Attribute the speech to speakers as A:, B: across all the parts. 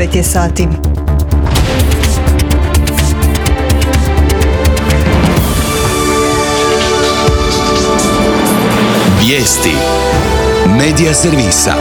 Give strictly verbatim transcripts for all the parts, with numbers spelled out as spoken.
A: devet je sati.
B: Vijesti Medija servisa.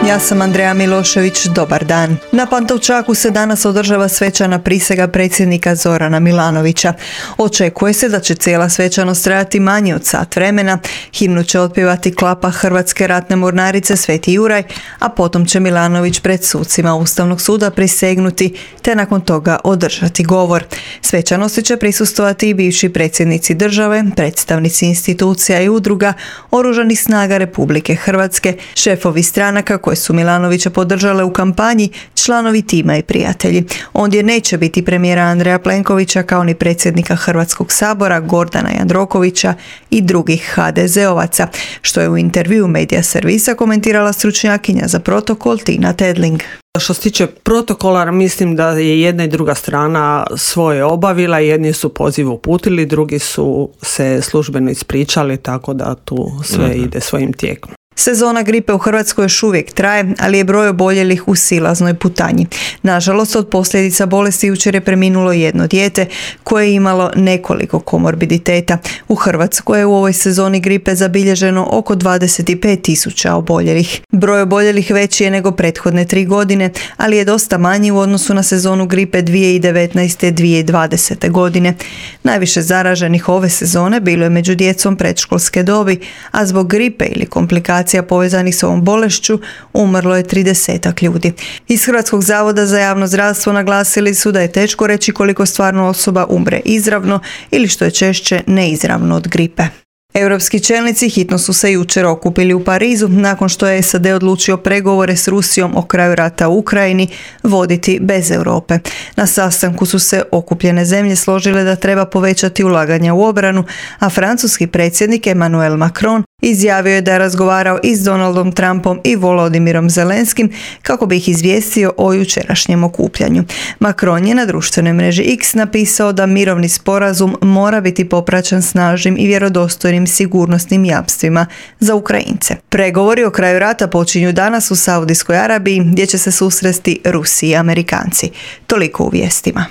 A: Ja sam Andreja Milošević, dobar dan. Na Pantovčaku se danas održava svečana prisega predsjednika Zorana Milanovića. Očekuje se da će cijela svečanost trajati manje od sat vremena. Himnu će otpjevati klapa Hrvatske ratne mornarice Sveti Juraj, a potom će Milanović pred sucima Ustavnog suda prisegnuti, te nakon toga održati govor. Svečanosti će prisustvovati i bivši predsjednici države, predstavnici institucija i udruga, Oružanih snaga Republike Hrvatske, šefovi stranaka koje su Milanovića podržale u kampanji, članovi tima i prijatelji. Ondje neće biti premijera Andreja Plenkovića kao ni predsjednika Hrvatskog sabora Gordana Jandrokovića i drugih ha de zeovaca, što je u intervjuu Medija servisa komentirala stručnjakinja za protokol Tina Tedling.
C: Što se tiče protokola, mislim da je jedna i druga strana svoje obavila, jedni su poziv uputili, drugi su se službeno ispričali, tako da tu sve mm-hmm. ide svojim tijekom.
A: Sezona gripe u Hrvatskoj još uvijek traje, ali je broj oboljelih u silaznoj putanji. Nažalost, od posljedica bolesti jučer je preminulo jedno dijete koje je imalo nekoliko komorbiditeta. U Hrvatskoj je u ovoj sezoni gripe zabilježeno oko dvadeset pet tisuća oboljelih. Broj oboljelih veći je nego prethodne tri godine, ali je dosta manji u odnosu na sezonu gripe dvije tisuće devetnaeste. dvije tisuće dvadesete. godine. Najviše zaraženih ove sezone bilo je među djecom predškolske dobi, a zbog gripe ili komplikacija povezanih s ovom bolešću umrlo je tridesetak ljudi. Iz Hrvatskog zavoda za javno zdravstvo naglasili su da je teško reći koliko stvarno osoba umre izravno ili što je češće neizravno od gripe. Europski čelnici hitno su se jučer okupili u Parizu nakon što je es a de odlučio pregovore s Rusijom o kraju rata u Ukrajini voditi bez Europe. Na sastanku su se okupljene zemlje složile da treba povećati ulaganja u obranu, a francuski predsjednik Emmanuel Macron izjavio je da je razgovarao i s Donaldom Trumpom i Volodimirom Zelenskim kako bi ih izvijestio o jučerašnjem okupljanju. Macron je na društvenoj mreži X napisao da mirovni sporazum mora biti popraćen snažnim i vjerodostojnim sigurnosnim jamstvima za Ukrajince. Pregovori o kraju rata počinju danas u Saudijskoj Arabiji, gdje će se susresti Rusi i Amerikanci. Toliko u vijestima.